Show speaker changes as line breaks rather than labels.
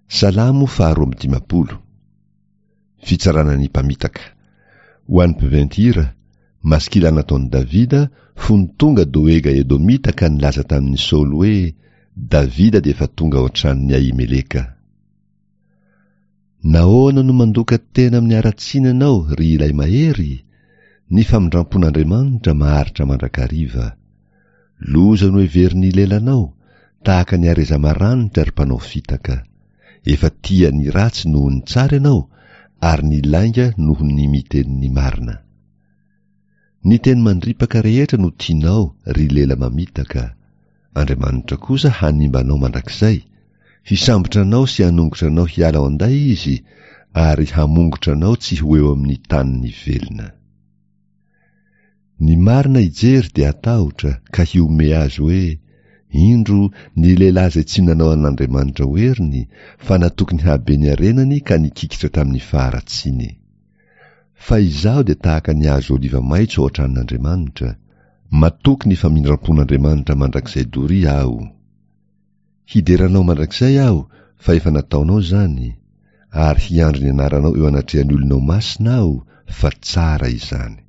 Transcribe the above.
Salamo faharoa amby dimampolo. Fitsarana ny mpamitaka. Ho an'ny mpiventy hira, maskila nataon'i Davida fony tonga Doega Edomita ka nilaza tamin'i Saoly hoe, Davida dia efa tonga ao an-tranon'i Ahimeleka. Nahoana no mandoka tena amin'ny haratsiana ianao, ry ilay mahery? Ny famindrampon'Andriamanitra maharitra mandrakariva. Loza no heverin'ny lelanao, tahaka ny hareza maranitra ry mpanao fitaka. Efa tia ny ratsy noho ny tsara ianao, ary ny lainga noho ny miteny ny marina. Ny teny mandripaka rehetra no tianao, ry lela mamitaka. Andriamanitra kosa hanimba anao mandrakizay, hisambotra anao sy hanongotra anao hiala ao an-day Izy, ary hamongotra anao tsy ho eo amin'ny tanin'ny velona. Ny marina hijery dia hatahotra ka hihomehy azy hoe, Indro ny lehilahy izay tsy nanao an'Andriamanitra ho heriny, fa natoky ny haben'ny harenany ka nikikitra tamin'ny faharatsiany. Fa izaho dia tahaka ny hazo oliva maitso ao an-tranon'Andriamanitra, matoky ny famindram-pon'Andriamanitra mandrakizay doria aho. Hidera Anao mandrakizay aho fa efa nataonao izany, ary hiandry ny anaranao eo anatrehan'ny olonao masina aho fa tsara izany.